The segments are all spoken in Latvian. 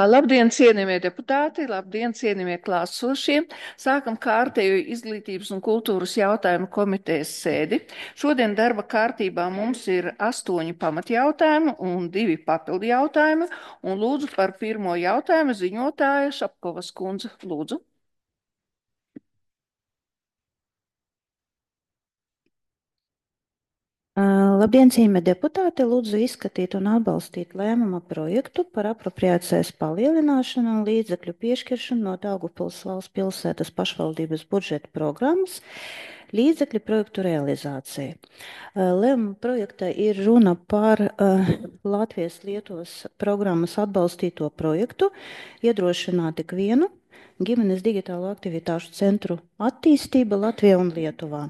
Labdien, cienījamie deputāti, labdien, cienījamie klātsošie. Sākam kārtējo izglītības un kultūras jautājumu komitejas sēdi. Šodien darba kārtībā mums ir 8 pamatjautājumi un 2 papildu jautājumi. Un lūdzu par pirmo jautājumu ziņotāja Šapkovas kundze. Lūdzu. Labdien, cienījamie deputāti! Lūdzu izskatīt un atbalstīt lēmuma projektu par apropriācijas palielināšanu un līdzekļu piešķiršanu no Daugavpils valsts pilsētas pašvaldības budžeta programmas līdzekļu projektu realizāciju. Lēmuma projektā ir runa par Latvijas-Lietuvas programmas atbalstīto projektu iedrošināt ikvienu ģimenes digitālo aktivitāšu centru attīstība Latvijā un Lietuvā.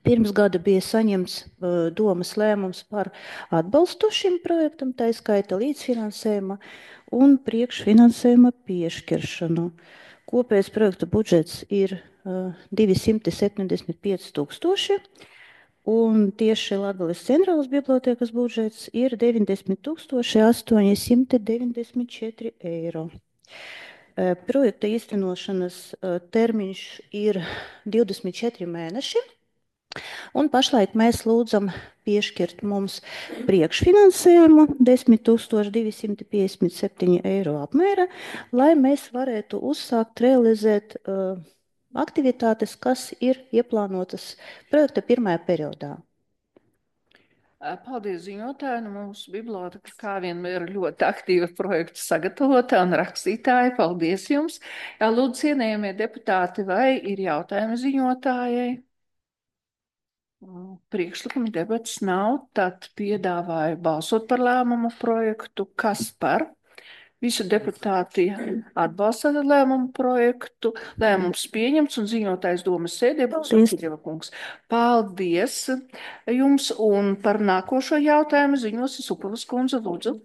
Pirms gada bija saņemts domas lēmums par atbalstu šim projektam, tā skaita līdzfinansējuma un priekšfinansējuma piešķiršanu. Kopējais projekta budžets ir 275 000, un tieši Latgales centrālas bibliotēkas budžets ir 90 894 eiro. Projekta īstenošanas termiņš ir 24 mēneši. Un pašlaik mēs lūdzam piešķirt mums priekšfinansējumu 10 257 eiro apmēra, lai mēs varētu uzsākt realizēt aktivitātes, kas ir ieplānotas projekta pirmajā periodā. Paldies ziņotāji. Mūsu biblioteka kā vienmēr ir ļoti aktīva projekta sagatavotā un rakstītāja. Paldies jums. Jā, lūdzu, cienījamie deputāti, vai ir jautājumi ziņotājai? Priekšlikuma debatas nav, tad piedāvāju balsot par lēmumu projektu. Kas par? Visi deputāti atbalsta lēmumu projektu. Lēmums pieņemts un ziņotājs domas sēdē būs Kiļeva kungs. Paldies jums, un par nākošo jautājumu ziņos Supavas kundze, lūdzu.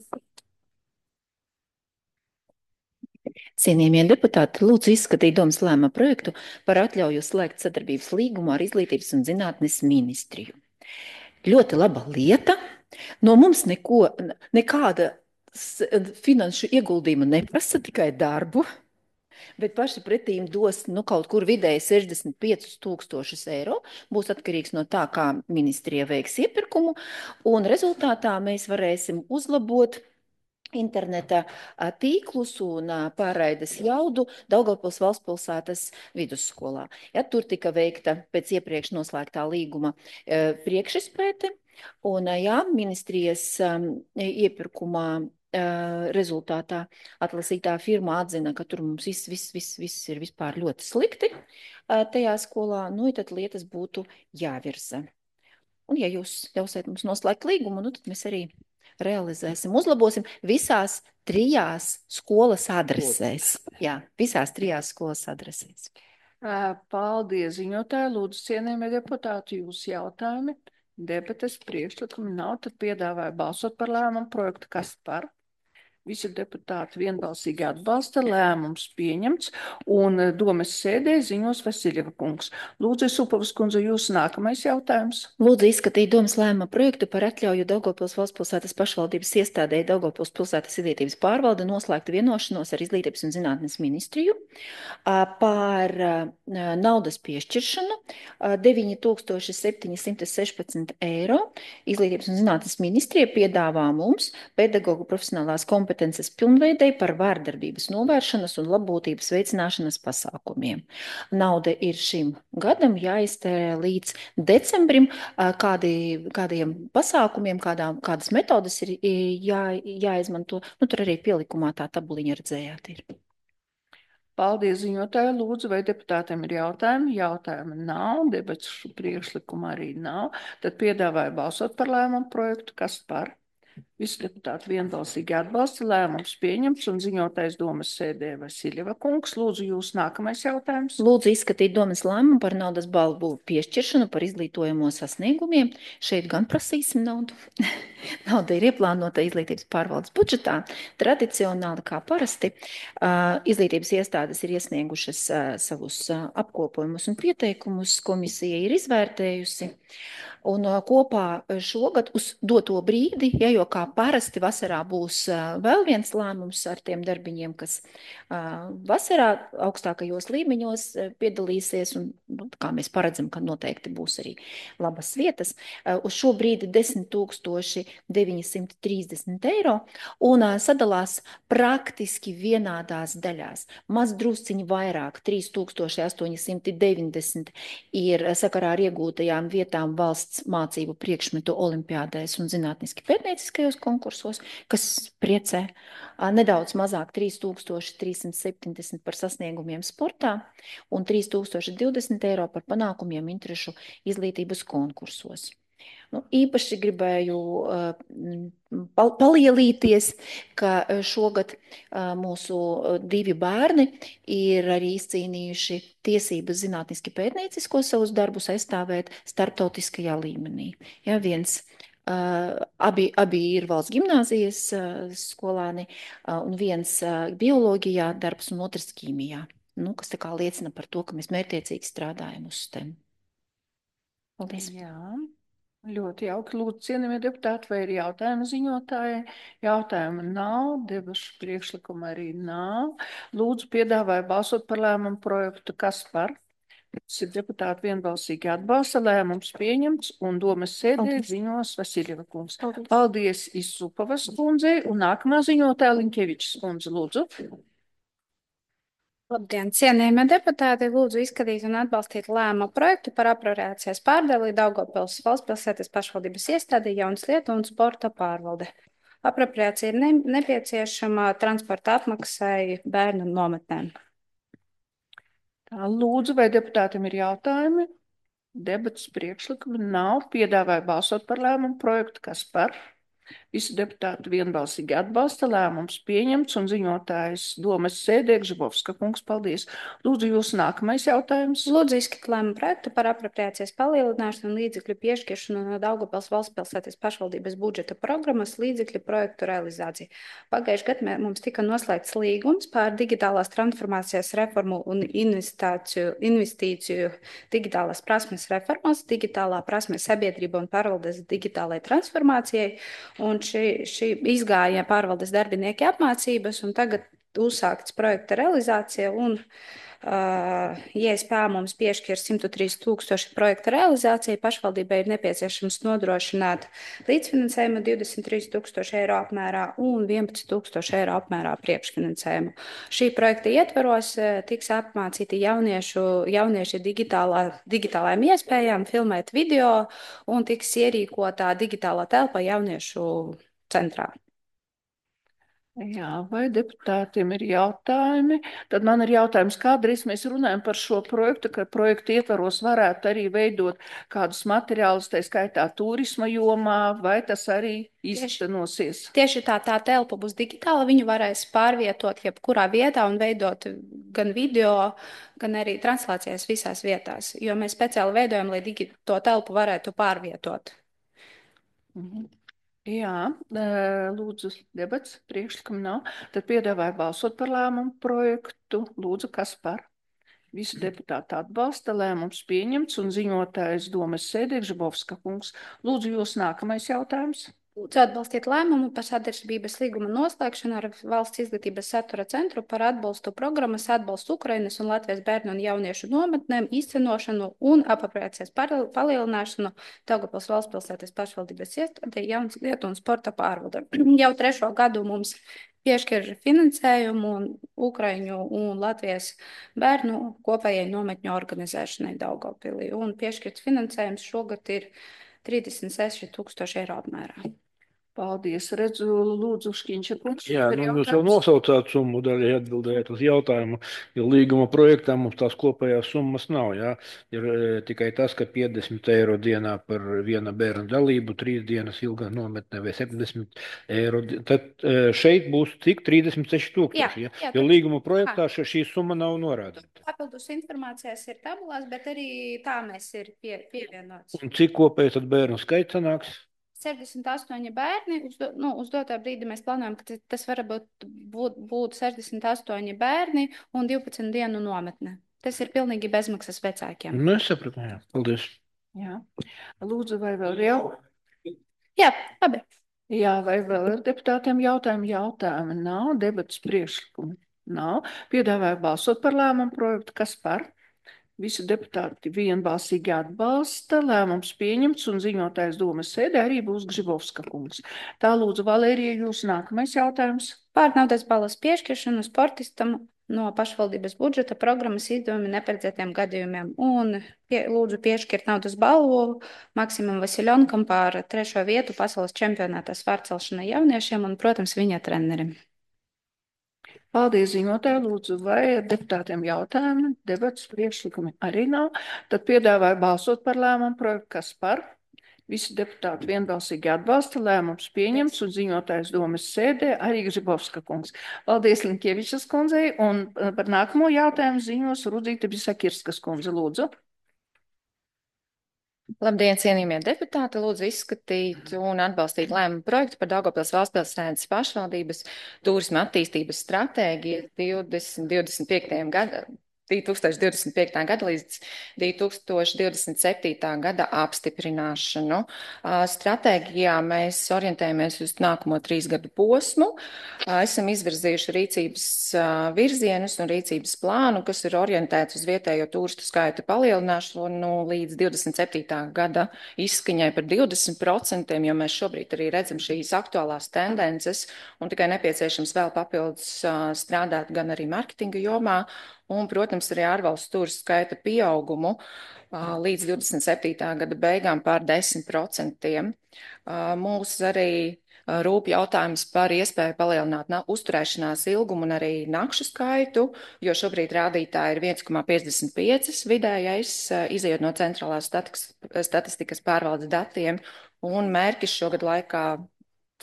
Cienījamie deputāti, lūdzu izskatīt domas lēmuma projektu par atļauju slēgt sadarbības līgumu ar Izglītības un zinātnes ministriju. Ļoti laba lieta. No mums nekāda finanšu ieguldījuma neprasa, tikai darbu, bet paši pretīm dos kaut kur vidēji 65 000 eiro. Būs atkarīgs no tā, kā ministrija veiks iepirkumu, un rezultātā mēs varēsim uzlabot interneta tīklus un pārraides jaudu Daugavpils valstspilsētas vidusskolā. Ja, tur tika veikta pēc iepriekš noslēgtā līguma priekšizpēte, un ministrijas iepirkumā rezultātā atlasītā firma atzina, ka tur mums viss ir vispār ļoti slikti tajā skolā, tad lietas būtu jāvirza. Un ja jūs ļausiet mums noslēgt līgumu, tad mēs arī realizēsim, uzlabosim visās 3 skolas adresēs. Jā, visās 3 skolas adresēs. Paldies, ziņotāji. Lūdzu, cienījamie deputāti, jūsu jautājumi. Debates priekšlikumi nav, tad piedāvāju balsot par lēmumu projektu. Kas par? Visi deputāti vienbalsīgi atbalsta, lēmums pieņemts, un domas sēdē ziņos Vasiļeva kungs. Lūdzu, Supavas kundze, jūsu nākamais jautājums. Lūdzu izskatīt domas lēmuma projektu par atļauju Daugavpils valstspilsētas pašvaldības iestādēji Daugavpils pilsētas izglītības pārvalde noslēgt vienošanos ar Izglītības un zinātnes ministriju par naudas piešķiršanu 9 716 eiro. Izglītības un zinātnes ministrija piedāvā mums pedagogu profesionālās kompetences pilnveidei par vārdarbības novēršanas un labbūtības veicināšanas pasākumiem. Nauda ir šim gadam jāiztērē līdz decembrim, kādiem pasākumiem, kādas metodas ir jāizmanto. Tur arī pielikumā tā tabuliņa redzējāt ir. Paldies, ziņotāji. Lūdzu, vai deputātiem ir jautājumi? Jautājumi nav, debats priekšlikuma arī nav. Tad piedāvāju balsot par lēmumu projektu. Kas par? Visi deputāti vienbalsīgi atbalsta, lēmums pieņemts, un ziņotājs domas sēdē Vasiļeva kungs. Lūdzu, jūs nākamais jautājums. Lūdzu izskatīt domas lēmumu par naudas balvu piešķiršanu par izglītojamo sasniegumiem. Šeit gan prasīsim naudu. Nauda ir ieplānota izglītības pārvaldes budžetā. Tradicionāli, kā parasti, izglītības iestādes ir iesniegušas savus apkopojumus un pieteikumus. Komisija ir izvērtējusi. Un kopā šogad uz doto brīdi, jo kā Parasti vasarā būs vēl viens lēmums ar tiem darbiņiem, kas vasarā augstākajos līmeņos piedalīsies, un kā mēs paredzam, ka noteikti būs arī labas vietas. Uz šo brīdi 10 930 eiro un sadalās praktiski vienādās daļās. Maz drusciņi vairāk, 3890 ir sakarā ar iegūtajām vietām valsts mācību priekšmetu olimpiādēs un zinātniski pētnieciskajos konkursos, kas priecē. Nedaudz mazāk 3370 par sasniegumiem sportā un 3020 eiro par panākumiem interešu izglītības konkursos. Īpaši gribēju palielīties, ka šogad mūsu 2 bērni ir arī izcīnījuši tiesības zinātniski pētniecisko savus darbus aizstāvēt starptautiskajā līmenī. Ja, abi ir valsts gimnāzijas skolāni, un viens bioloģijā darbs un otrs ķīmijā. Kas tā kā liecina par to, ka mēs mērķiecīgi strādājam uz STEM. Paldies. Jā. Ļoti jauki. Lūdzu, cienījamie deputāti, vai ir jautājumi ziņotājai? Jautājumu nav, debašu priekšlikuma arī nav. Lūdzu, piedāvāju balsot par lēmumu projektu. Kas par? Deputāti vienbalsīgi atbalsta, lēmums pieņemts, un domas sēdē ziņos Vasiljeva kungs. Paldies Isupovas kundzei, un nākamā ziņotāja Linkevičs kundze, lūdzu. Labdien, cienījamie deputāti, lūdzu izskatīt un atbalstīt lēmumu projektu par apropriācijas pārdali Daugavpils valsts pilsētas pašvaldības iestādē jaunas lietu un sporta pārvalde. Apropriācija ir nepieciešama transporta apmaksai bērnu nometnēm. Tā, lūdzu, vai deputātiem ir jautājumi? Debatas priekšlikumi nav. Piedāvāju balsot par lēmumu projektu. Kas par? Visi deputāti vienbalsīgi atbalsta, lēmums pieņemts, un ziņotājs domas sēdē Gžibovska kungs. Paldies. Lūdzu, jūsu nākamais jautājums. Lūdzu izskatīt lēmumu projektu par apropriācijas palielināšanu un līdzekļu piešķiršanu no Daugavpils valsts pilsētas pašvaldības budžeta programmas līdzekļu projektu realizāciju. Pagājušajā gadā mums tika noslēgts līgums par digitālās transformācijas reformu un investīciju digitālās prasmes reformas, digitālā prasme sabiedrība un pārvaldes digitālai transformācijai. Un šī izgāja pārvaldes darbinieki apmācības, un tagad uzsākts projekta realizācija, un ISP mums piešķir 103 000 projekta realizācija. Pašvaldībai ir nepieciešams nodrošināt līdzfinansējumu 23 000 eiro apmērā un 11 000 eiro apmērā priekšfinansējumu. Šī projekta ietvaros tiks apmācīti jaunieši digitālajām iespējām, filmēt video un tiks ierīkotā digitālā telpa jauniešu centrā. Jā, vai deputātiem ir jautājumi? Tad man ir jautājums, kādreiz mēs runājam par šo projektu, ka projektu ietvaros varētu arī veidot kādus materiālus, tā skaitā turisma jomā, vai tas arī īstenosies? Tieši tā telpa būs digitāla, viņu varēs pārvietot jebkurā vietā un veidot gan video, gan arī translācijas visās vietās, jo mēs speciāli veidojam, lai to telpu varētu pārvietot. Jā, lūdzu, debats, priekšlikumi nav. Tad piedāvāju balsot par lēmumu projektu. Lūdzu, kas par? Visi deputāti atbalsta, lēmums pieņemts, un ziņotājs domas sēdē Gžibovska kungs. Lūdzu, jūs nākamais jautājums. Lūdzu atbalstīt lēmumu par sadarbības līguma noslēgšanu ar Valsts izglītības satura centru par atbalstu programmas atbalstu Ukrainas un Latvijas bērnu un jauniešu nometnēm, īstenošanu un apropriācijas palielināšanu Daugavpils valsts pilsētas pašvaldības iestādē jaunas lietu un sporta pārvalde. Jau 3. gadu mums piešķir finansējumu Ukraiņu un Latvijas bērnu kopējai nometņu organizēšanai Daugavpilī. Un piešķirts finansējums šogad ir 36 000 eiro apmērā. Paldies, redzu, lūdzu, Škiņša kungs. Jā, jūs jau nosaucāt summu, daļai atbildējāt uz jautājumu, jo līguma projektā mums tās kopējās summas nav, jā. Ir tikai tas, ka 50 eiro dienā par viena bērna dalību, 3 dienas ilgā nometnē vai 70 eiro. Tad šeit būs cik 36 000, jā? Jo līguma projektā šī summa nav norādīta. Papildus informācijas ir tabulās, bet arī tā mēs ir pievienots. Un cik kopēji tad bērnu skaits sanāks? 68 bērni, uz doto brīdi mēs plānojam, ka tas var būt 68 bērni un 12 dienu nometne. Tas ir pilnīgi bezmaksas vecākiem. Es sapratu, jā. Paldies. Jā. Lūdzu, vai vēl jau? Jā, labi. Jā, vai vēl ir deputātiem jautājumi? Jautājumi nav, debatas priekšlikumi nav. Piedāvāju balsot par lēmumu projektu. Kas par? Visi deputāti vienbalsīgi atbalsta. Lēmums pieņemts un ziņotājs domas sēdē arī būs Gžibovska kungs. Tā lūdzu, Valērija, jūs nākamais jautājums. Par naudas balvas piešķiršanu sportistam no pašvaldības budžeta programmas izdevumi neparedzētiem gadījumiem. Un lūdzu piešķirt naudas balvu Maksimam Vasiljonkam par 3. vietu pasaules čempionātā svārcelšanai jauniešiem un, protams, viņa trenerim. Paldies, ziņotāji. Lūdzu, vai ir deputātiem jautājumi? Debats priekšlikumi arī nav. Tad piedāvāju balsot par lēmumu projektu. Kas par? Visi deputāti vienbalsīgi atbalsta, lēmums pieņemts un ziņotājs domas sēdē arī Gžibovska kungs. Paldies Linkievičas kundzei un par nākamo jautājumu ziņos Rudzīta Bisakirskas kundze. Lūdzu. Labdien, cienījamie deputāti! Lūdzu izskatīt un atbalstīt lēmumu projektu par Daugavpils valstspilsētas pašvaldības turisma attīstības stratēģiju 2025. gadam. 2025. gada līdz 2027. gada apstiprināšanu. Stratēģijā mēs orientējamies uz nākamo 3 gadu posmu. Esam izvirzījuši rīcības virzienus un rīcības plānu, kas ir orientēts uz vietējo turistu skaita palielināšanu līdz 27. gada izskaņai par 20%, jo mēs šobrīd arī redzam šīs aktuālās tendences un tikai nepieciešams vēl papildus strādāt gan arī marketinga jomā, un, protams, arī ārvalstu turistu skaita pieaugumu līdz 27. gada beigām pār 10%. Mūs arī rūp jautājums par iespēju palielināt uzturēšanās ilgumu un arī nakšu skaitu, jo šobrīd rādītāji ir 1,55 vidējais, izejot no centrālās statistikas pārvaldes datiem, un mērķis šogad laikā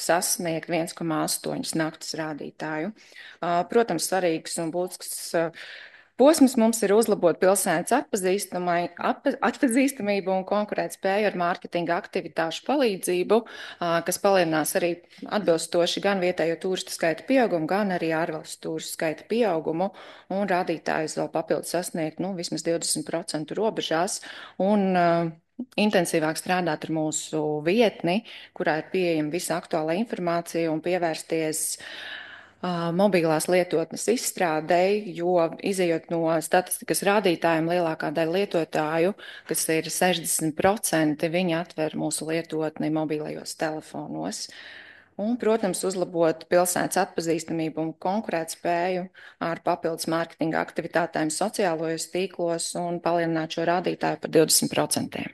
sasniegt 1,8 naktas rādītāju. Protams, svarīgs un būtisks posms mums ir uzlabot pilsētas atpazīstamību un konkurētspēju ar mārketinga aktivitāšu palīdzību, kas palielinās arī atbilstoši gan vietējo turistu skaita pieaugumu, gan arī ārvalstu turistu skaita pieaugumu, un rādītājus vēl papildus sasniegt vismaz 20% robežās, un intensīvāk strādāt ar mūsu vietni, kurā ir pieejama visa aktuāla informācija, un pievērsties mobilās lietotnes izstrādei, jo izejot no statistikas rādītājiem, lielākā daļa lietotāju, kas ir 60%, viņi atver mūsu lietotni mobilajos telefonos. Un, protams, uzlabot pilsētas atpazīstamību un konkurētspēju ar papildus mārketinga aktivitātēm sociālajos tīklos un palielināt šo rādītāju par 20%.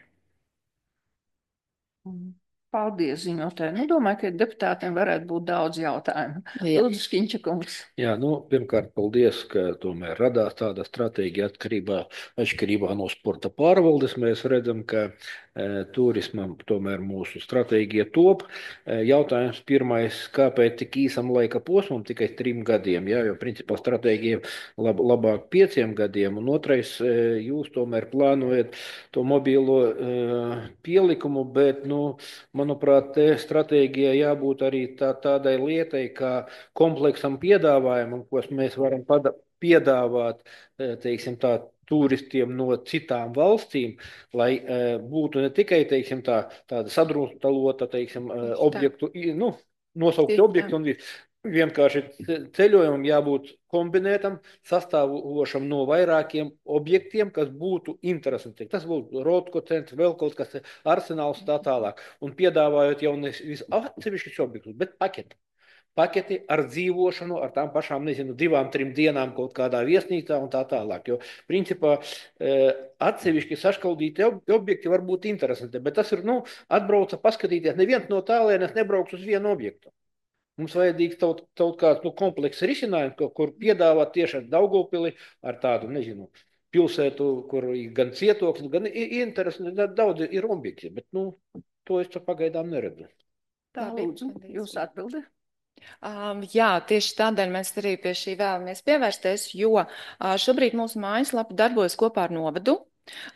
Paldies, ziņotāji. Domāju, ka deputātiem varētu būt daudz jautājumu. Lūdzu, Škiņča kungs. Jā, pirmkārt, paldies, ka tomēr radās tāda stratēģija atšķirībā no sporta pārvaldes. Mēs redzam, ka turismam tomēr mūsu stratēģija top. Jautājums pirmais, kāpēc tik īsam laika posmam, tikai 3 gadiem, jā, jo principā stratēģija labāk 5 gadiem, un otrais, jūs tomēr plānojat to mobīlo pielikumu, bet, manuprāt, te stratēģijai jābūt arī tādai lietai, kā kompleksam piedāvājumam, ko mēs varam piedāvāt, teiksim tā, turistiem no citām valstīm, lai būtu ne tikai, teiksim tāda sadrumstalota, teiksim, objektu, nosaukti objekti un vienkārši ceļojumam jābūt kombinētam, sastāvošam no vairākiem objektiem, kas būtu interesanti. Tas būtu Rotko centrs, vēl kaut kas, Arsenāls tā tālāk. Un piedāvājot jau nevis atsevišķus objektus, bet paketi ar dzīvošanu, ar tām pašām, 2-3 dienām kaut kādā viesnīcā un tā tālāk. Jo, principā, atsevišķi saškaldīti objekti var būt interesanti, bet tas ir, atbrauca paskatīties, neviens no tālienes nebrauks uz vienu objektu. Mums vajadzīgs kaut kāds komplekss risinājums, kur piedāvāt tieši ar Daugavpili, ar tādu, pilsētu, kur gan cietoklis, gan interesanti, daudz ir objekti, bet, to es pagaidām neredzu. Tā, lūdzu, jūs atbildi. Jā, tieši tādēļ mēs arī pie šī vēlamies pievērsties, jo šobrīd mūsu mājaslapa darbojas kopā ar novadu.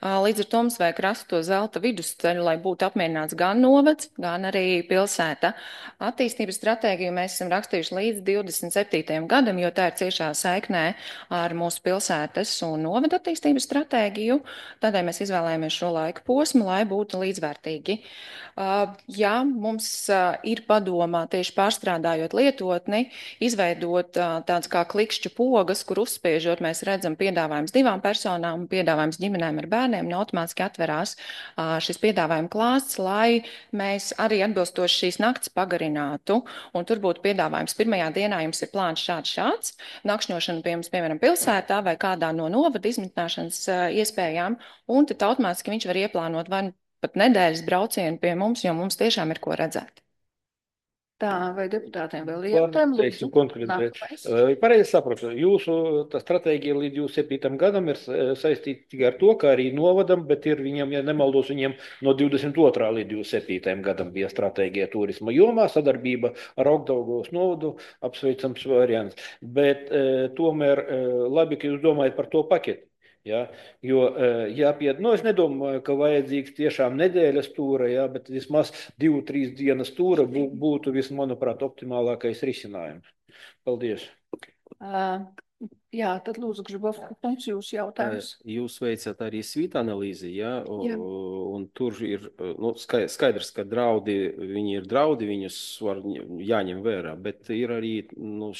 Līdz ar to mums vajag rast to zelta vidusceļu, lai būtu apmierināts gan novads, gan arī pilsēta. Attīstības stratēģiju mēs esam rakstījuši līdz 27. gadam, jo tā ir ciešā saiknē ar mūsu pilsētas un novada attīstības stratēģiju. Tādēļ mēs izvēlējāmies šo laika posmu, lai būtu līdzvērtīgi. Jā, mums ir padomā tieši pārstrādājot lietotni, izveidot tāds kā klikšķu pogas, kur uzspiežot mēs redzam piedāvājums 2 personām un piedāvājums ģimenēm ar bērniem, un automātiski atverās šis piedāvājuma klāsts, lai mēs arī atbilstoši šīs nakts pagarinātu, un tur būtu piedāvājums pirmajā dienā jums ir plāns šāds, nakšņošana pie jums, piemēram, pilsētā vai kādā no novada izmitināšanas iespējām, un tad automātiski viņš var ieplānot vai pat nedēļas braucienu pie mums, jo mums tiešām ir ko redzēt. Tā, vai deputātiem vēl ir jautājumi? Teiksim konkrēti. Pareizi saprotu, jūsu stratēģija līdz 27. gadam ir saistīta tikai ar to, ka arī novadam, bet ir viņam, ja nemaldos, viņiem no 22. līdz 27. gadam bija stratēģija turisma jomā, sadarbība ar Augdaugavas novadu, apsveicams variants. Bet tomēr labi, ka jūs domājat par to paketi. Ja, jo jāpiet, es nedomāju, ka vajadzīgs tiešām nedēļas tūra, ja, bet vismaz 2-3 dienas tūra būtu, manuprāt, optimālākais risinājums. Paldies. Jā, tad lūdzu, Grzybovs, jūs jautājums. Jūs veicat arī svīta analīzi, ja? Un tur ir skaidrs, ka draudi, viņi ir draudi, viņus var jāņem vērā, bet ir arī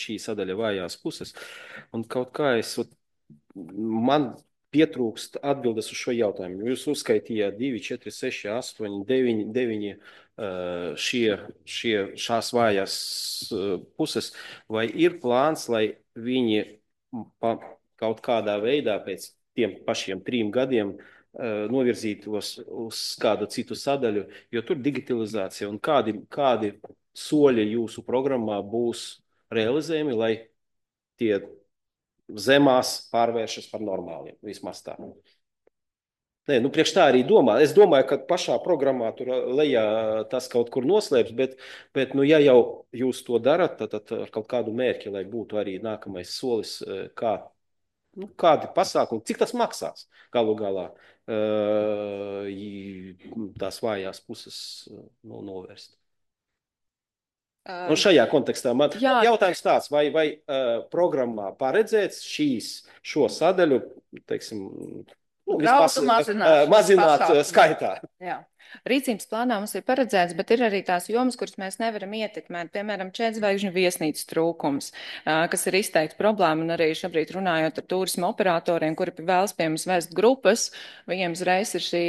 šī sadaļa vājās puses. Un kaut kā man pietrūkst atbildes uz šo jautājumu. Jūs uzskaitījāt 2, 4, 6, 8, 9 šās vājās puses. Vai ir plāns, lai viņi kaut kādā veidā pēc tiem pašiem 3 gadiem novirzītos uz kādu citu sadaļu, jo tur digitalizācija un kādi soļi jūsu programmā būs realizējami, lai tie zemās pārvēršas par normāliem, vismaz tā. Nē, priekš tā arī domā. Es domāju, ka pašā programmā tur lejā tas kaut kur noslēps, bet ja jau jūs to darat, tad ar kaut kādu mērķi, lai būtu arī nākamais solis, kādi pasākumi, cik tas maksās galu galā tās vājās puses novērst. Un šajā kontekstā man jautājums tāds, vai programmā paredzēts šo sadaļu, teiksim, mazināt skaitā? Jā. Rīcības plānā mums ir paredzēts, bet ir arī tās jomas, kuras mēs nevaram ietekmēt. Piemēram, 4-zvaigžņu viesnīcas trūkums, kas ir izteikti problēma, un arī šobrīd runājot ar turismu operatoriem, kuri vēlas pie mums vest grupas, viņiem uzreiz ir šī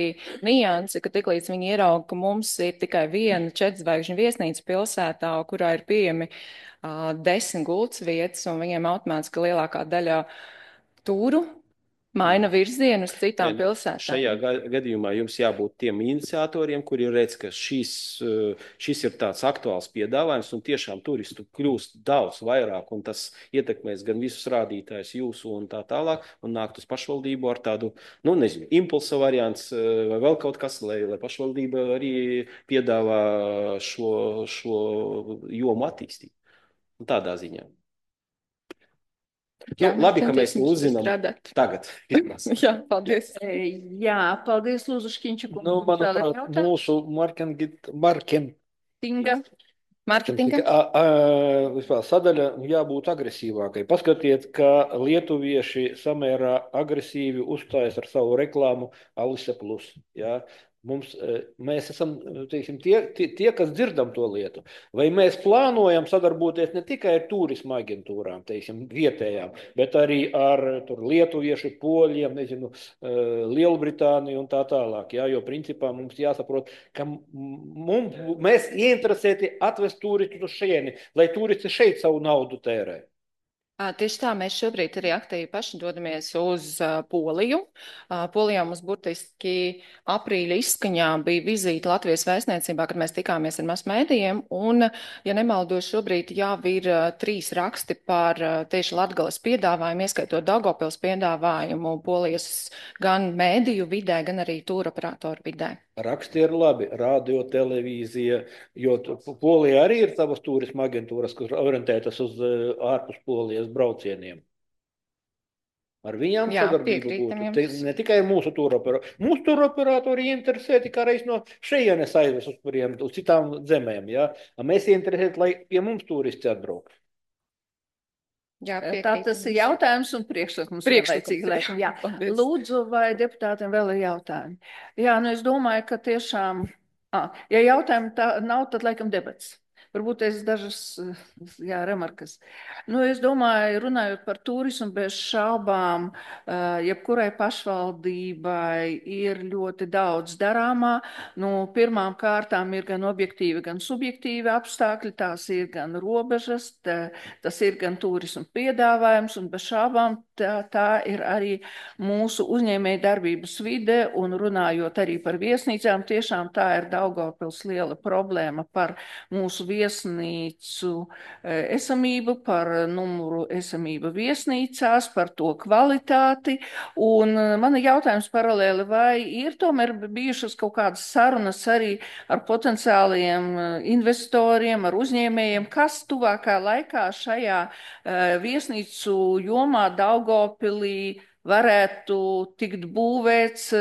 nianse, ka tiklīdz viņi ierauga, ka mums ir tikai viena 4-zvaigžņu viesnīca pilsētā, kurā ir pieejami 10 gultas vietas, un viņiem automātiski lielākā daļa tūru maina virzienu uz citām pilsētām. Šajā gadījumā jums jābūt tiem iniciatoriem, kuri redz, ka šis ir tāds aktuāls piedāvājums un tiešām turistu kļūst daudz vairāk un tas ietekmēs gan visus rādītājus jūsu un tā tālāk un nākt uz pašvaldību ar tādu, impulsa variants vai vēl kaut kas, lai pašvaldība arī piedāvā šo jomu attīstīt. Un tādā ziņā. Jā, labi, ka mēs uzzinām tagad. Jā, paldies. Jā, paldies, Lūdzu, Škiņčaku. Manuprāt, mūsu marketinga sadaļa jābūt agresīvākai. Paskatiet, ka lietuvieši samērā agresīvi uzstājas ar savu reklāmu Alise Plus. Jā. Mēs esam tie, kas dzirdam to lietu. Vai mēs plānojam sadarboties ne tikai ar turisma aģentūrām, vietējām, bet arī ar lietuviešu, poļiem, Lielbritāniju un tā tālāk. Jā, jo principā mums jāsaprot, ka mēs ieinteresēti atvest turistus uz šejieni, lai turisti šeit savu naudu tērē. Tieši tā, mēs šobrīd arī aktīvi paši dodamies uz Poliju. Polijā mums burtiski aprīļa izskaņā bija vizīte Latvijas vēstniecībā, kad mēs tikāmies ar masmēdījiem, un, ja nemaldos, šobrīd jau ir 3 raksti par tieši Latgales piedāvājumu, ieskaitot Daugavpils piedāvājumu Polijas gan mēdīju vidē, gan arī tūroperatoru vidē. Raksti ir labi, radio, televīzija, jo Polijā arī ir savas turisma aģentūras, kas orientētas uz ārpus Polijas braucieniem. Ar viņām Jā, sadarbība piekrītam būtu. jums. Ne tikai mūsu turoperatori. Mūsu turoperatori interesē tikai reiz no šejienes aizvest uz citām zemēm. Ja? Mēs interesējam, lai pie mums turisti atbrauktu. Jā, Tā tas ir jautājums un priekšlikums vienlaicīgi, laikam. Jā. Lūdzu, vai deputātiem vēl ir jautājumi? Jā, nu es domāju, ka tiešām, ja jautājumi nav, tad laikam debats. Varbūt es dažas, jā, remarkas. Nu, es domāju, runājot par turismu, bez šaubām, jebkurai pašvaldībai ir ļoti daudz darāmā. Nu, pirmām kārtām ir gan objektīvi, gan subjektīvi apstākļi, tās ir gan robežas, tas ir gan turismu piedāvājums, un bez šābām tā ir arī mūsu uzņēmēja darbības vide, un runājot arī par viesnīcām, tiešām tā ir Daugavpils liela problēma par mūsu viesnīcu esamību, par numuru esamību viesnīcās, par to kvalitāti, un man ir jautājums paralēli, vai ir tomēr bijušas kaut kādas sarunas arī ar potenciāliem investoriem, ar uzņēmējiem, kas tuvākā laikā šajā viesnīcu jomā Daugavpilī varētu tikt būvēts,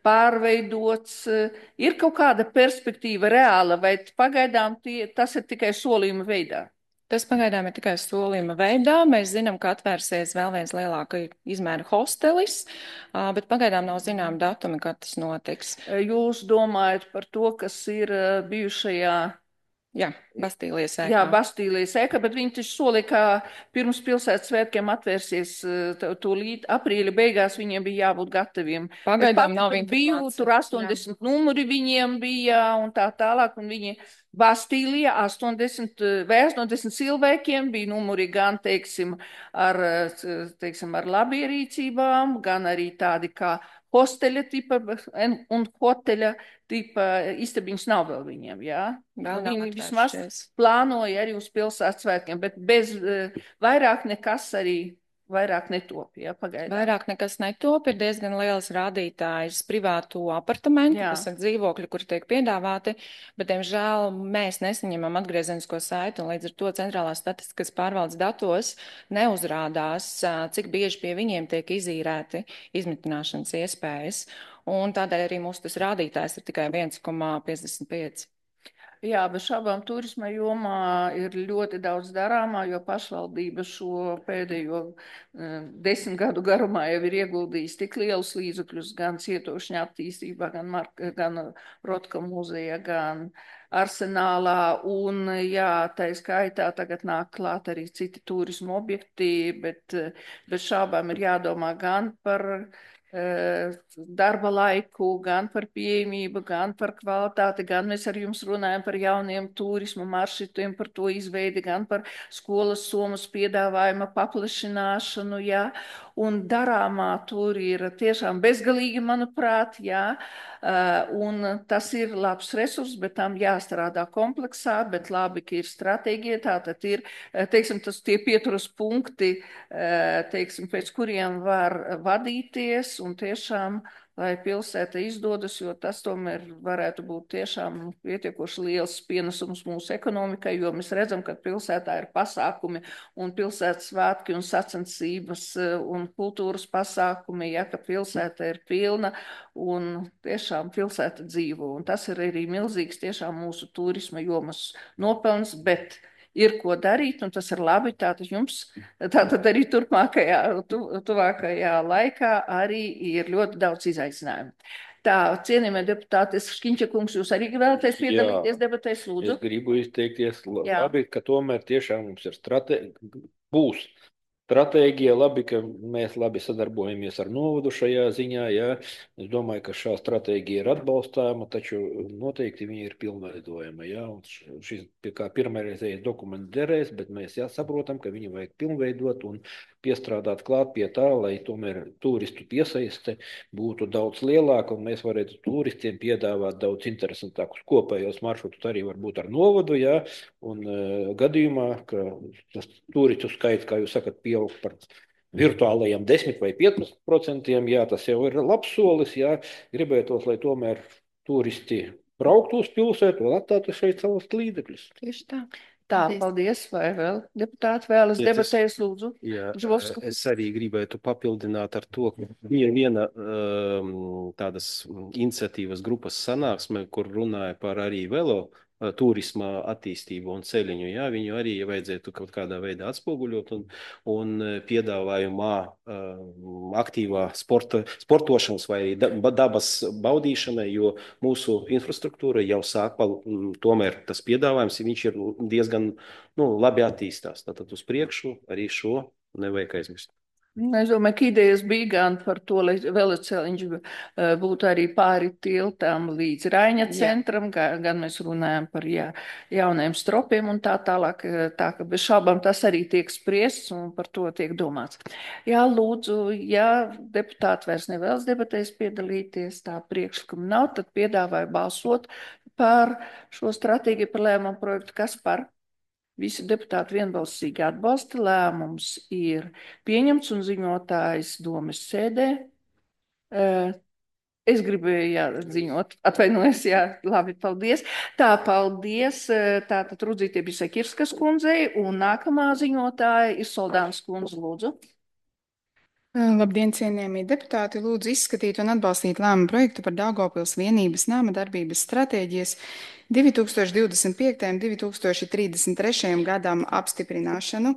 pārveidots. Ir kaut kāda perspektīva reāla, vai pagaidām tas ir tikai solījuma veidā? Tas pagaidām ir tikai solījuma veidā. Mēs zinām, ka atvērsies vēl viens lielāka izmēra hostelis, bet pagaidām nav zinām datumi, kad tas notiks. Jūs domājat par to, kas ir bijušajā? Jā, Bastīlijas ēkā. Jā, Bastīlijas ēkā, bet viņi taču solīja, ka pirms pilsētas svētkiem atvērsies tūlīt aprīļa beigās, viņiem bija jābūt gataviem. Pagaidām nav biju, tur 80 numuri viņiem bija un tā tālāk, un viņi Bastīlijā 80 vai 80 cilvēkiem bija numuri gan, teiksim, ar labierīcībām, gan arī tādi kā hosteļa tipa un hoteļa tipa istabiņas nav vēl viņiem, jā? Viņi vismaz plānoja arī uz pilsētas svētkiem, bet bez vairāk nekas arī vairāk netop, jā, pagaidām. Vairāk nekas netop, ir diezgan liels rādītājs privātu apartamentu, kas ir dzīvokļi, kuri tiek piedāvāti, bet, diemžēl, mēs nesaņemam atgriezenisko saiti, un līdz ar to centrālās statistikas pārvaldes datos neuzrādās, cik bieži pie viņiem tiek izīrēti izmitināšanas iespējas, un tādēļ arī mūsu tas rādītājs ir tikai 1,55. Jā, bez šaubām turisma jomā ir ļoti daudz darāmā, jo pašvaldība šo pēdējo 10 gadu garumā jau ir ieguldījis tik lielus līdzekļus gan cietošņa attīstībā, gan Rotka muzejā, gan arsenālā, un jā, tā skaitā tagad nāk klāt arī citi turisma objekti, bet bez šaubām ir jādomā gan par darba laiku, gan par pieejamību, gan par kvalitāti, gan mēs ar jums runājam par jauniem turismu maršrutiem, par to izveidi, gan par skolas somas piedāvājuma paplašināšanu, jā, un darāmā tur ir tiešām bezgalīgi, manuprāt, jā, un tas ir labs resurs, bet tam jāstrādā kompleksā, bet labi, ka ir stratēģija, tātad ir, teiksim, tie pieturas punkti, teiksim, pēc kuriem var vadīties, un tiešām, lai pilsēta izdodas, jo tas tomēr varētu būt tiešām pietiekoši liels pienesums mūsu ekonomikai, jo mēs redzam, ka pilsētā ir pasākumi un pilsētas svētki un sacensības un kultūras pasākumi, ja, ka pilsēta ir pilna un tiešām pilsēta dzīvo. Un tas ir arī milzīgs tiešām mūsu turisma jomas nopelns, bet ir ko darīt, un tas ir labi. Tātad jums, tātad arī tuvākajā laikā arī ir ļoti daudz izaicinājumu. Tā, cienījamie deputāti, Škiņķa kungs, jūs arī vēlaties piedalīties debatēs, lūdzu? Es gribu izteikties, labi, ka tomēr tiešām mums ir būs stratēģija, labi, ka mēs labi sadarbojamies ar novadu šajā ziņā, jā. Es domāju, ka šā stratēģija ir atbalstāma, taču noteikti viņa ir pilnveidojama, jā. Un šis kā pirmreizējais dokuments derēs, bet mēs saprotam, ka viņu vajag pilnveidot un piestrādāt klāt pie tā, lai tomēr turistu piesaiste būtu daudz lielāka un mēs varētu turistiem piedāvāt daudz interesantākus kopējos maršrutus arī varbūt ar novadu, jā, un gadījumā, ka tas turistu skaits, kā jūs sakat, pieaug par virtuālajiem 10 vai 15%, jā, tas jau ir labs solis, jā, gribētos, lai tomēr turisti brauktu uz pilsētu un atstātu šeit savus līdzekļus. Tieši tā. Tā, paldies. Vai vēl deputāti vēlas debatēs, lūdzu? Jā, Žvovska. es arī gribētu papildināt ar to, ka bija viena tādas iniciatīvas grupas sanāksme, kur runāja par arī turisma attīstību un ceļiņu. Jā, viņu arī vajadzētu kaut kādā veidā atspoguļot un piedāvājumā aktīvā sportošanas vai dabas baudīšanai, jo mūsu infrastruktūra jau sāk, tomēr tas piedāvājums, viņš ir diezgan labi attīstās. Tātad uz priekšu arī šo nevajag aizmirst. Es domāju, ka idejas bija gan par to, lai veloceliņš būtu arī pāri tiltām līdz Raiņa centram, gan mēs runājam par jauniem stropiem un tā tālāk. Tā ka bez šaubām tas arī tiek spriests un par to tiek domāts. Jā, lūdzu, ja deputāti vairs nevēlas debatēs piedalīties, tā priekšlikuma nav, tad piedāvāju balsot par šo stratēģiju par lēmumu projektu. Kas par? Visi deputāti vienbalsīgi atbalsta, lēmums ir pieņemts un ziņotājs domes sēdē. Es gribēju ziņot, atvainojos, labi, paldies. Tā, paldies. Tātad Rudzīte bija Sekirskas kundzei un nākamā ziņotāja ir Soldānas kundze, lūdzu. Labdien, cienījamie deputāti! Lūdzu izskatīt un atbalstīt lēmumu projektu par Daugavpils vienības nama darbības stratēģijas 2025. un 2033. gadam apstiprināšanu.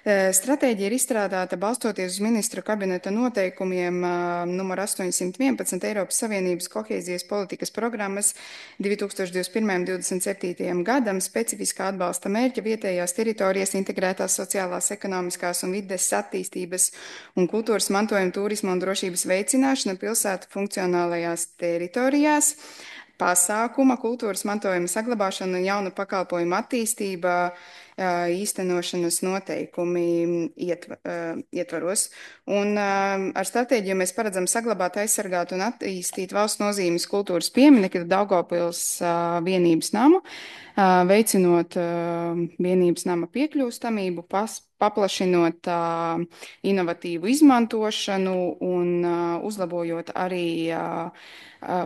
Stratēģija ir izstrādāta balstoties uz ministru kabineta noteikumiem numur 811 Eiropas Savienības kohēzijas politikas programmas 2021.–2027. gadam specifiskā atbalsta mērķa vietējās teritorijas integrētās sociālās, ekonomiskās un vides attīstības un kultūras mantojuma, turisma un drošības veicināšana pilsētu funkcionālajās teritorijās, pasākuma, kultūras mantojuma saglabāšana un jaunu pakalpojumu attīstība īstenošanas noteikumi ietvaros. Un ar stratēģiju mēs paredzam saglabāt, aizsargāt un attīstīt valsts nozīmes kultūras pieminekļu Daugavpils vienības namu, veicinot vienības nama piekļūstamību, paplašinot inovatīvu izmantošanu un uzlabojot arī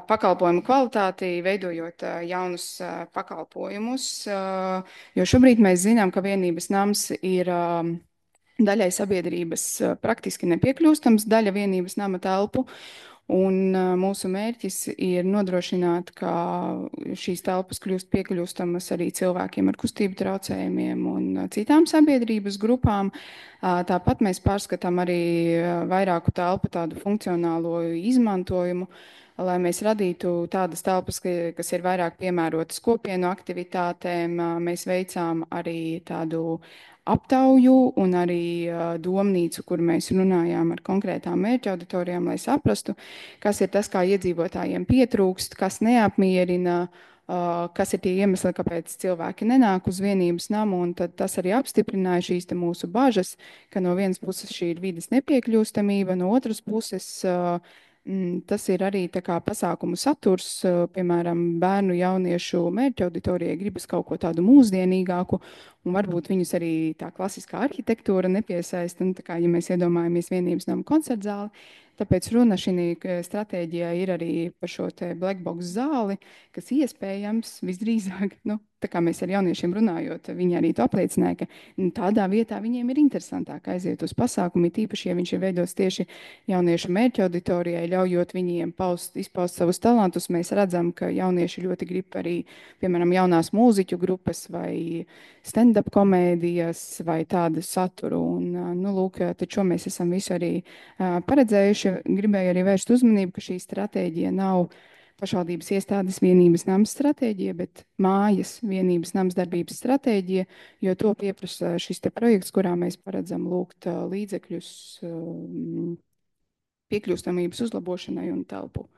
pakalpojumu kvalitāti, veidojot jaunus pakalpojumus, jo šobrīd mēs zinām, ka vienības nams ir daļai sabiedrības praktiski nepiekļūstams, daļa vienības nama telpu. Un mūsu mērķis ir nodrošināt, ka šīs telpas kļūst piekļūstamas arī cilvēkiem ar kustību traucējumiem un citām sabiedrības grupām. Tāpat mēs pārskatām arī vairāku telpu tādu funkcionālo izmantojumu, lai mēs radītu tādas telpas, kas ir vairāk piemērotas kopienu aktivitātēm. Mēs veicām arī tādu aptauju un arī domnīcu, kur mēs runājām ar konkrētām mērķa auditorijām, lai saprastu, kas ir tas, kā iedzīvotājiem pietrūkst, kas neapmierina, kas ir tie iemesli, kāpēc cilvēki nenāk uz vienības namu, un tad tas arī apstiprināja šīs mūsu bažas, ka no vienas puses šī ir vides nepiekļūstamība, no otras puses tas ir arī tā kā pasākumu saturs, piemēram, bērnu jauniešu mērķa auditorijai gribas kaut ko tādu mūsdienīgāku, un varbūt viņus arī tā klasiskā arhitektūra nepiesaista, un tā kā, ja mēs iedomājamies vienības namu koncertzāli, tāpēc runa šī stratēģijā ir arī par šo te black box zāli, kas iespējams visdrīzāk, tā kā mēs ar jauniešiem runājot, viņi arī to apliecināja, ka tādā vietā viņiem ir interesantāk aiziet uz pasākumu, tīpaši, ja viņš ir veidots tieši jauniešu mērķa auditorijai, ļaujot viņiem izpaust savus talantus. Mēs redzam, ka jaunieši ļoti grib arī, piemēram, jaunās mūziķu grupas vai stand-up komēdijas vai tādu saturu. Un, lūk, taču mēs esam visu arī paredzējuši. Gribēju arī vērst uzmanību, ka šī stratēģija nav pašvaldības iestādes vienības nams stratēģija, bet mājas vienības nams darbības stratēģija, jo to pieprasa šis te projekts, kurā mēs paredzam lūgt līdzekļus piekļūstamības uzlabošanai un telpu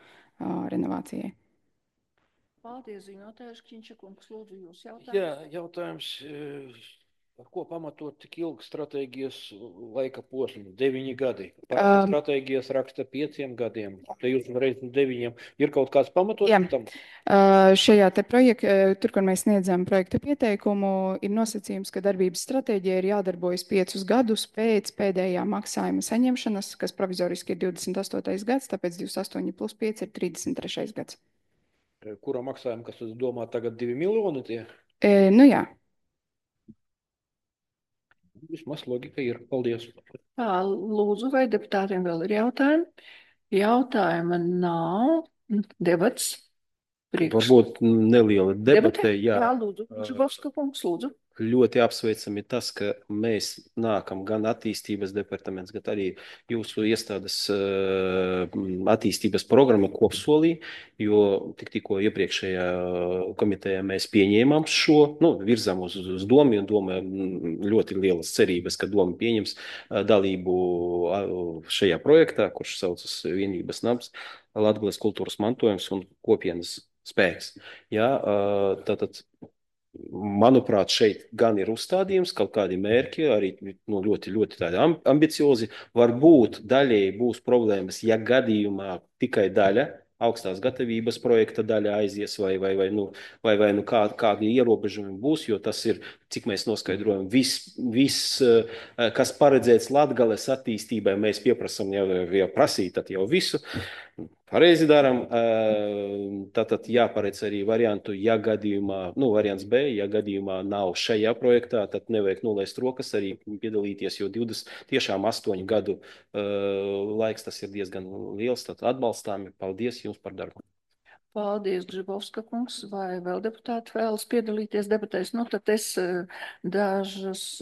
renovācijai. Paldies, ziņotājs Kņķakungs, lūdzu jūs jautājums. Jā, jautājums, ar ko pamatot tik ilgu stratēģijas laika posmu? 9 gadi. Stratēģijas raksta 5 gadiem. Te jūs reiz 9. Ir kaut kāds pamatojums tam? Šajā te projektā, tur, kur mēs sniedzam projekta pieteikumu, ir nosacījums, ka darbības stratēģija ir jādarbojas 5 gadus pēc pēdējā maksājuma saņemšanas, kas provizoriski ir 28. gads, tāpēc 28 plus 5 ir 33. gads. Kura maksājuma, kas domā tagad 2 miljoni tie? Nu jā. Vismaz logika ir. Paldies. Tā, lūdzu, vai deputātiem vēl ir jautājumi? Jautājuma nav. Debats. Varbūt neliela debate. Jā, lūdzu. Žibovska kungs, lūdzu. Ļoti apsveicami tas, ka mēs nākam gan attīstības departaments, gan arī jūsu iestādes attīstības programma kopsolī, jo tikko iepriekšējā komitejā mēs pieņēmām šo, virzām uz domu, un doma ļoti lielas cerības, ka doma pieņems dalību šajā projektā, kurš saucas Vienības nams, Latgales kultūras mantojums un kopienas spēks. Jā, tātad. Manuprāt, šeit gan ir uzstādījums, kaut kādi mērķi, arī ļoti, ļoti tādi ambiciozi. Varbūt daļēji būs problēmas, ja gadījumā tikai daļa augstās gatavības projekta daļa aizies, vai kādi ierobežojumi būs, jo tas ir, cik mēs noskaidrojam, viss, kas paredzēts Latgales attīstībai, mēs pieprasam jau prasīt, tad jau visu. Pareizi darām. Tātad jāparedz arī variantu, ja gadījumā, variants B, ja gadījumā nav šajā projektā, tad nevajag nolaist rokas arī piedalīties, jo 28 gadu laiks tas ir diezgan liels, tad atbalstāmi. Paldies jums par darbu. Paldies, Gžibovska kungs. Vai vēl deputāti vēlas piedalīties debatēs? Tad es dažus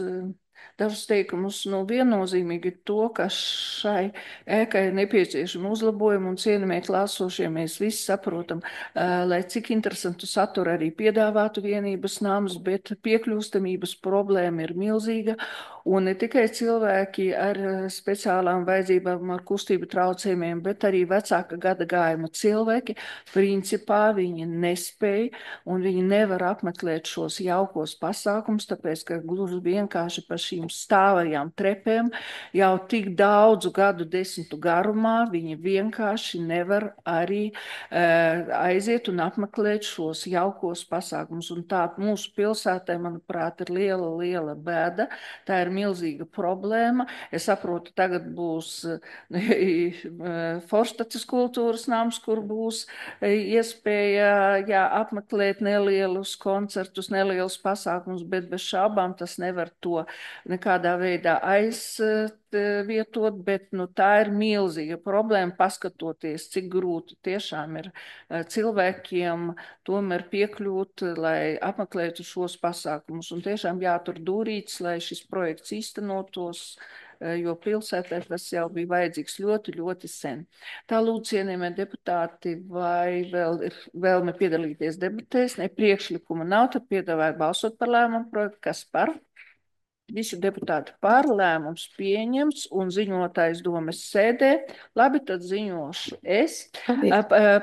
teikumus viennozīmīgi to, ka šai ēkai ir nepieciešama uzlabojuma un cienījamie klāsošie mēs visi saprotam, lai cik interesantu saturu arī piedāvātu Vienības nams, bet piekļūstamības problēma ir milzīga un ne tikai cilvēki ar speciālām vajadzībām, ar kustību traucējumiem, bet arī vecāka gada gājuma cilvēki, principā viņi nespēja un viņi nevar apmeklēt šos jaukos pasākums, tāpēc, ka gluži vienkārši pa šīm stāvajām trepēm jau tik daudzu gadu desmitu garumā viņi vienkārši nevar arī aiziet un apmeklēt šos jaukos pasākumus. Un tā mūsu pilsētai, manuprāt, ir liela bēda. Tā ir milzīga problēma. Es saprotu, tagad būs Forstaces kultūras nams, kur būs iespēja apmeklēt nelielus koncertus, nelielus pasākumus, bet bez šābām tas nevar to nekādā veidā aizvietot, bet tā ir milzīga problēma, paskatoties, cik grūti tiešām ir cilvēkiem tomēr piekļūt, lai apmeklētu šos pasākumus. Un tiešām jātur dūrīts, lai šis projekts īstenotos, jo pilsētā tas jau bija vajadzīgs ļoti sen. Tā lūdzu, cienījamie deputāti, vai vēl ir vēlme piedalīties debatēs? Ne, priekšlikuma nav, tad piedāvāju balsot par lēmumu projektu. Kas par? Visi deputāti par, lēmums pieņemts un ziņotājs domes sēdē. Labi, tad ziņošu es.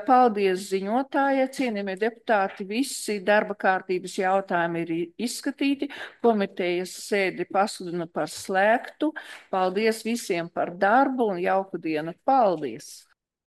Paldies ziņotājai, cienījamie deputāti, visi darba kārtības jautājumi ir izskatīti. Komitejas sēdi pasludina par slēgtu. Paldies visiem par darbu un jauku dienu. Paldies!